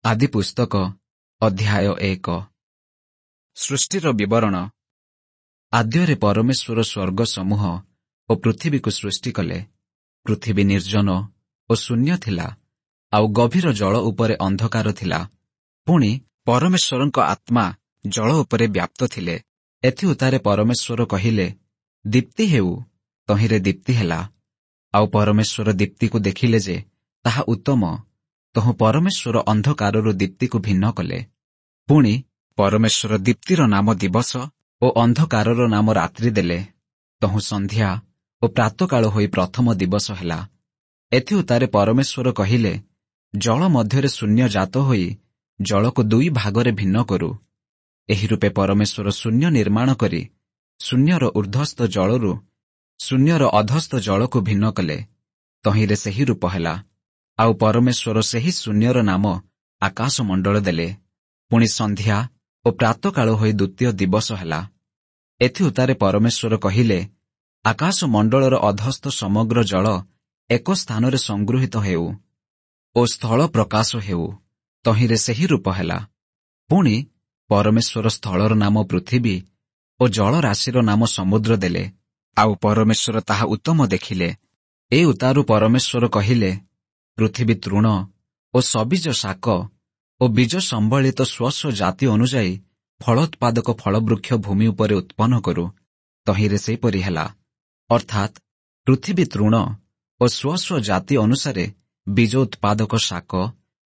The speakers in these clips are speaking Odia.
ଆଦିପୁସ୍ତକ ଅଧ୍ୟାୟ 1। ସୃଷ୍ଟିର ବିବରଣ। ଆଦ୍ୟରେ ପରମେଶ୍ୱର ସ୍ୱର୍ଗ ସମୂହ ଓ ପୃଥିବୀକୁ ସୃଷ୍ଟି କଲେ। ପୃଥିବୀ ନିର୍ଜନ ଓ ଶୂନ୍ୟ ଥିଲା, ଆଉ ଗଭୀର ଜଳ ଉପରେ ଅନ୍ଧକାର ଥିଲା। ପୁଣି ପରମେଶ୍ୱରଙ୍କ ଆତ୍ମା ଜଳ ଉପରେ ବ୍ୟାପ୍ତ ଥିଲେ। ଏଥିଉତ୍ତାରେ ପରମେଶ୍ୱର କହିଲେ, ଦୀପ୍ତି ହେଉ। ତହିଁରେ ଦୀପ୍ତି ହେଲା। ଆଉ ପରମେଶ୍ୱର ଦୀପ୍ତିକୁ ଦେଖିଲେ ଯେ ତାହା ଉତ୍ତମ। ତହୁଁ ପରମେଶ୍ୱର ଅନ୍ଧକାରରୁ ଦୀପ୍ତିକୁ ଭିନ୍ନ କଲେ। ପୁଣି ପରମେଶ୍ୱର ଦୀପ୍ତିର ନାମ ଦିବସ ଓ ଅନ୍ଧକାରର ନାମ ରାତ୍ରି ଦେଲେ। ତହୁଁ ସନ୍ଧ୍ୟା ଓ ପ୍ରାତକାଳ ହୋଇ ପ୍ରଥମ ଦିବସ ହେଲା। ଏଥିଉତ୍ତାରେ ପରମେଶ୍ୱର କହିଲେ, ଜଳ ମଧ୍ୟରେ ଶୂନ୍ୟ ଜାତ ହୋଇ ଜଳକୁ ଦୁଇ ଭାଗରେ ଭିନ୍ନ କରୁ। ଏହି ରୂପେ ପରମେଶ୍ୱର ଶୂନ୍ୟ ନିର୍ମାଣ କରି ଶୂନ୍ୟର ଉର୍ଦ୍ଧ୍ୱସ୍ଥ ଜଳରୁ ଶୂନ୍ୟର ଅଧସ୍ଥ ଜଳକୁ ଭିନ୍ନ କଲେ। ତହିଁରେ ସେହି ରୂପ ହେଲା। ଆଉ ପରମେଶ୍ୱର ସେହି ଶୂନ୍ୟର ନାମ ଆକାଶମଣ୍ଡଳ ଦେଲେ। ପୁଣି ସନ୍ଧ୍ୟା ଓ ପ୍ରାତକାଳ ହୋଇ ଦ୍ୱିତୀୟ ଦିବସ ହେଲା। ଏଥିଉତ୍ତାରେ ପରମେଶ୍ୱର କହିଲେ, ଆକାଶମଣ୍ଡଳର ଅଧସ୍ଥ ସମଗ୍ର ଜଳ ଏକ ସ୍ଥାନରେ ସଂଗୃହୀତ ହେଉ ଓ ସ୍ଥଳ ପ୍ରକାଶ ହେଉ। ତହିଁରେ ସେହି ରୂପ ହେଲା। ପୁଣି ପରମେଶ୍ୱର ସ୍ଥଳର ନାମ ପୃଥିବୀ ଓ ଜଳରାଶିର ନାମ ସମୁଦ୍ର ଦେଲେ। ଆଉ ପରମେଶ୍ୱର ତାହା ଉତ୍ତମ ଦେଖିଲେ। ଏ ଉତ୍ତାରୁ ପରମେଶ୍ୱର କହିଲେ, ପୃଥିବୀ ତୃଣ ଓ ସବୀଜ ଶାକ ଓ ବୀଜ ସମ୍ବଳିତ ସ୍ୱସ୍ୱ ଜାତି ଅନୁଯାୟୀ ଫଳୋତ୍ପାଦକ ଫଳବୃକ୍ଷ ଭୂମି ଉପରେ ଉତ୍ପନ୍ନ କରୁ। ତହିଁରେ ସେହିପରି ହେଲା। ଅର୍ଥାତ୍ ପୃଥିବୀ ତୃଣ ଓ ସ୍ୱସ୍ୱ ଜାତି ଅନୁସାରେ ବୀଜ ଉତ୍ପାଦକ ଶାକ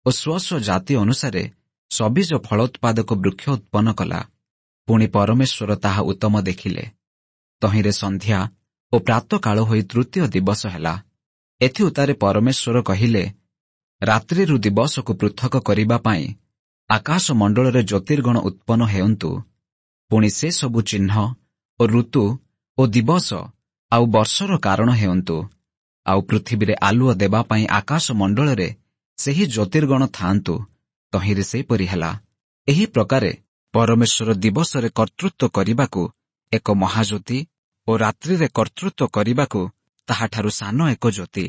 ଓ ସ୍ୱସ୍ୱ ଜାତି ଅନୁସାରେ ସବୀଜ ଫଳୋତ୍ପାଦକ ବୃକ୍ଷ ଉତ୍ପନ୍ନ କଲା। ପୁଣି ପରମେଶ୍ୱର ତାହା ଉତ୍ତମ ଦେଖିଲେ। ତହିଁରେ ସନ୍ଧ୍ୟା ଓ ପ୍ରାତକାଳ ହୋଇ ତୃତୀୟ ଦିବସ ହେଲା। ଏଥିଉତ୍ତାରେ ପରମେଶ୍ୱର କହିଲେ, ରାତ୍ରିରୁ ଦିବସକୁ ପୃଥକ କରିବା ପାଇଁ ଆକାଶମଣ୍ଡଳରେ ଜ୍ୟୋତିର୍ଗଣ ଉତ୍ପନ୍ନ ହେଉନ୍ତୁ। ପୁଣି ସେ ସବୁ ଚିହ୍ନ ଓ ଋତୁ ଓ ଦିବସ ଆଉ ବର୍ଷର କାରଣ ହେଉନ୍ତୁ। ଆଉ ପୃଥିବୀରେ ଆଲୁଅ ଦେବା ପାଇଁ ଆକାଶମଣ୍ଡଳରେ ସେହି ଜ୍ୟୋତିର୍ଗଣ ଥାଆନ୍ତୁ। ତହିଁରେ ସେହିପରି ହେଲା। ଏହି ପ୍ରକାରେ ପରମେଶ୍ୱର ଦିବସରେ କର୍ତ୍ତୃତ୍ୱ କରିବାକୁ ଏକ ମହାଜ୍ୟୋତି ଓ ରାତ୍ରିରେ କର୍ତ୍ତୃତ୍ୱ କରିବାକୁ ତାହାଠାରୁ ସାନ ଏକ ଜ୍ୟୋତି,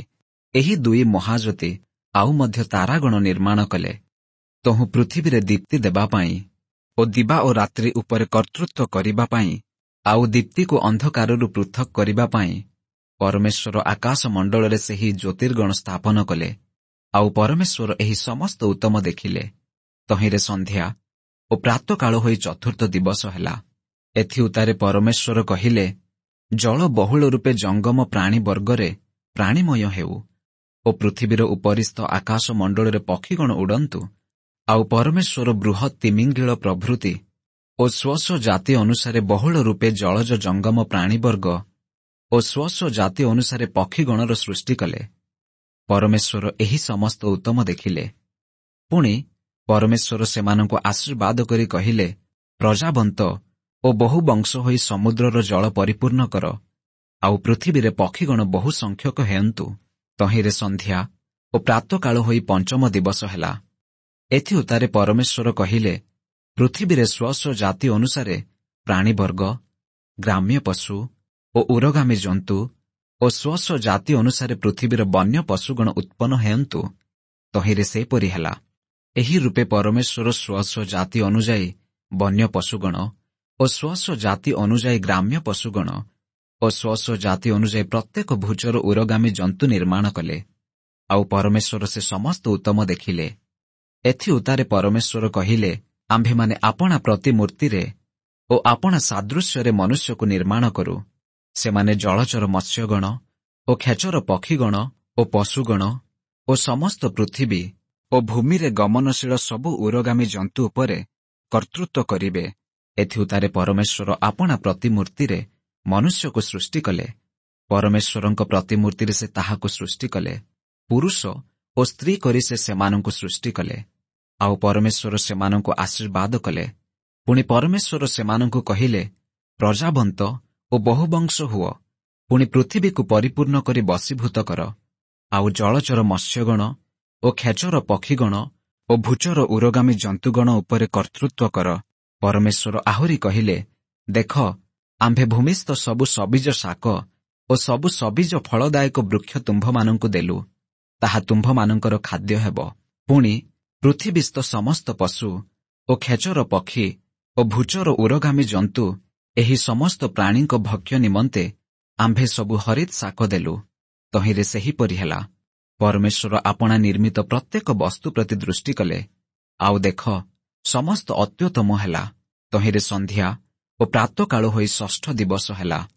ଏହି ଦୁଇ ମହାଜ୍ୟୋତି ଆଉ ମଧ୍ୟ ତାରାଗଣ ନିର୍ମାଣ କଲେ। ତହୁଁ ପୃଥିବୀରେ ଦୀପ୍ତି ଦେବା ପାଇଁ ଓ ଦିବା ଓ ରାତ୍ରି ଉପରେ କର୍ତ୍ତୃତ୍ୱ କରିବା ପାଇଁ ଆଉ ଦୀପ୍ତିକୁ ଅନ୍ଧକାରରୁ ପୃଥକ କରିବା ପାଇଁ ପରମେଶ୍ୱର ଆକାଶମଣ୍ଡଳରେ ସେହି ଜ୍ୟୋତିର୍ଗଣ ସ୍ଥାପନ କଲେ। ଆଉ ପରମେଶ୍ୱର ଏହି ସମସ୍ତ ଉତ୍ତମ ଦେଖିଲେ। ତହିଁରେ ସନ୍ଧ୍ୟା ଓ ପ୍ରାତକାଳ ହୋଇ ଚତୁର୍ଥ ଦିବସ ହେଲା। ଏଥିଉତ୍ତାରେ ପରମେଶ୍ୱର କହିଲେ, ଜଳ ବହୁଳ ରୂପେ ଜଙ୍ଗମ ପ୍ରାଣୀ ବର୍ଗରେ ପ୍ରାଣୀମୟ ହେଉ ଓ ପୃଥିବୀର ଉପରିସ୍ଥ ଆକାଶମଣ୍ଡଳରେ ପକ୍ଷୀଗଣ ଉଡ଼ନ୍ତୁ। ଆଉ ପରମେଶ୍ୱର ବୃହତ୍ ତିମିଙ୍ଗିଳ ପ୍ରଭୃତି ଓ ସ୍ୱସ୍ୱ ଜାତି ଅନୁସାରେ ବହୁଳ ରୂପେ ଜଳଜ ଜଙ୍ଗମ ପ୍ରାଣୀବର୍ଗ ଓ ସ୍ୱସ୍ୱ ଜାତି ଅନୁସାରେ ପକ୍ଷୀଗଣର ସୃଷ୍ଟି କଲେ। ପରମେଶ୍ୱର ଏହି ସମସ୍ତ ଉତ୍ତମ ଦେଖିଲେ। ପୁଣି ପରମେଶ୍ୱର ସେମାନଙ୍କୁ ଆଶୀର୍ବାଦ କରି କହିଲେ, ପ୍ରଜାବନ୍ତ ଓ ବହୁ ବଂଶ ହୋଇ ସମୁଦ୍ରର ଜଳ ପରିପୂର୍ଣ୍ଣ କର, ଆଉ ପୃଥିବୀରେ ପକ୍ଷୀଗଣ ବହୁ ସଂଖ୍ୟକ ହେଉନ୍ତୁ। ତହିଁରେ ସନ୍ଧ୍ୟା ଓ ପ୍ରାତକାଳ ହୋଇ ପଞ୍ଚମ ଦିବସ ହେଲା। ଏଥିଉତ୍ତାରେ ପରମେଶ୍ୱର କହିଲେ, ପୃଥିବୀରେ ସ୍ୱସ୍ୱ ଜାତି ଅନୁସାରେ ପ୍ରାଣୀବର୍ଗ, ଗ୍ରାମ୍ୟ ପଶୁ ଓ ଉରଗାମୀ ଜନ୍ତୁ ଓ ସ୍ୱସ୍ୱ ଜାତି ଅନୁସାରେ ପୃଥିବୀର ବନ୍ୟ ପଶୁଗଣ ଉତ୍ପନ୍ନ ହେଉନ୍ତୁ। ତହିଁରେ ସେପରି ହେଲା। ଏହି ରୂପେ ପରମେଶ୍ୱର ସ୍ୱସ୍ୱ ଜାତି ଅନୁଯାୟୀ ବନ୍ୟ ପଶୁଗଣ ଓ ସ୍ୱସ୍ୱ ଜାତି ଅନୁଯାୟୀ ଗ୍ରାମ୍ୟ ପଶୁଗଣ ଓ ସ୍ୱସ୍ୱ ଜାତି ଅନୁଯାୟୀ ପ୍ରତ୍ୟେକ ଭୂଚର ଉରଗାମୀ ଜନ୍ତୁ ନିର୍ମାଣ କଲେ। ଆଉ ପରମେଶ୍ୱର ସେ ସମସ୍ତ ଉତ୍ତମ ଦେଖିଲେ। ଏଥିଉତ୍ତାରେ ପରମେଶ୍ୱର କହିଲେ, ଆମ୍ଭେମାନେ ଆପଣା ପ୍ରତିମୂର୍ତ୍ତିରେ ଓ ଆପଣା ସାଦୃଶ୍ୟରେ ମନୁଷ୍ୟକୁ ନିର୍ମାଣ କରୁ। ସେମାନେ ଜଳଚର ମତ୍ସ୍ୟଗଣ ଓ ଖେଚର ପକ୍ଷୀଗଣ ଓ ପଶୁଗଣ ଓ ସମସ୍ତ ପୃଥିବୀ ଓ ଭୂମିରେ ଗମନଶୀଳ ସବୁ ଉରଗାମୀ ଜନ୍ତୁ ଉପରେ କର୍ତ୍ତୃତ୍ୱ କରିବେ। ଏଥିଉତ୍ତାରେ ପରମେଶ୍ୱର ଆପଣା ପ୍ରତିମୂର୍ତ୍ତିରେ ମନୁଷ୍ୟକୁ ସୃଷ୍ଟି କଲେ। ପରମେଶ୍ୱରଙ୍କ ପ୍ରତିମୂର୍ତ୍ତିରେ ସେ ତାହାକୁ ସୃଷ୍ଟି କଲେ। ପୁରୁଷ ଓ ସ୍ତ୍ରୀ କରି ସେ ସେମାନଙ୍କୁ ସୃଷ୍ଟି କଲେ। ଆଉ ପରମେଶ୍ୱର ସେମାନଙ୍କୁ ଆଶୀର୍ବାଦ କଲେ। ପୁଣି ପରମେଶ୍ୱର ସେମାନଙ୍କୁ କହିଲେ, ପ୍ରଜାବନ୍ତ ଓ ବହୁବଂଶ ହୁଅ, ପୁଣି ପୃଥିବୀକୁ ପରିପୂର୍ଣ୍ଣ କରି ବଶୀଭୂତ କର। ଆଉ ଜଳଚର ମତ୍ସ୍ୟଗଣ ଓ ଖେଚର ପକ୍ଷୀଗଣ ଓ ଭୂଚର ଉରଗାମୀ ଜନ୍ତୁଗଣ ଉପରେ କର୍ତ୍ତୃତ୍ୱ କର। ପରମେଶ୍ୱର ଆହୁରି କହିଲେ, ଦେଖ, ଆମ୍ଭେ ଭୂମିସ୍ଥ ସବୁ ସବୀଜ ଶାକ ଓ ସବୁ ସବୀଜ ଫଳଦାୟକ ବୃକ୍ଷ ତୁମ୍ଭମାନଙ୍କୁ ଦେଲୁ, ତାହା ତୁମ୍ଭମାନଙ୍କର ଖାଦ୍ୟ ହେବ। ପୁଣି ପୃଥିବୀସ୍ଥ ସମସ୍ତ ପଶୁ ଓ ଖେଚର ପକ୍ଷୀ ଓ ଭୂଚର ଉରଗାମୀ ଜନ୍ତୁ, ଏହି ସମସ୍ତ ପ୍ରାଣୀଙ୍କ ଭକ୍ଷ୍ୟ ନିମନ୍ତେ ଆମ୍ଭେ ସବୁ ହରିତ୍ ଶାକ ଦେଲୁ। ତହିଁରେ ସେହିପରି ହେଲା। ପରମେଶ୍ୱର ଆପଣା ନିର୍ମିତ ପ୍ରତ୍ୟେକ ବସ୍ତୁ ପ୍ରତି ଦୃଷ୍ଟି କଲେ, ଆଉ ଦେଖ, ସମସ୍ତ ଅତ୍ୟୁତ୍ତମ ହେଲା। ତହିଁରେ ସନ୍ଧ୍ୟା ଓ ପ୍ରାତଃକାଳ ହୋଇ ଷଷ୍ଠ ଦିବସ ହେଲା।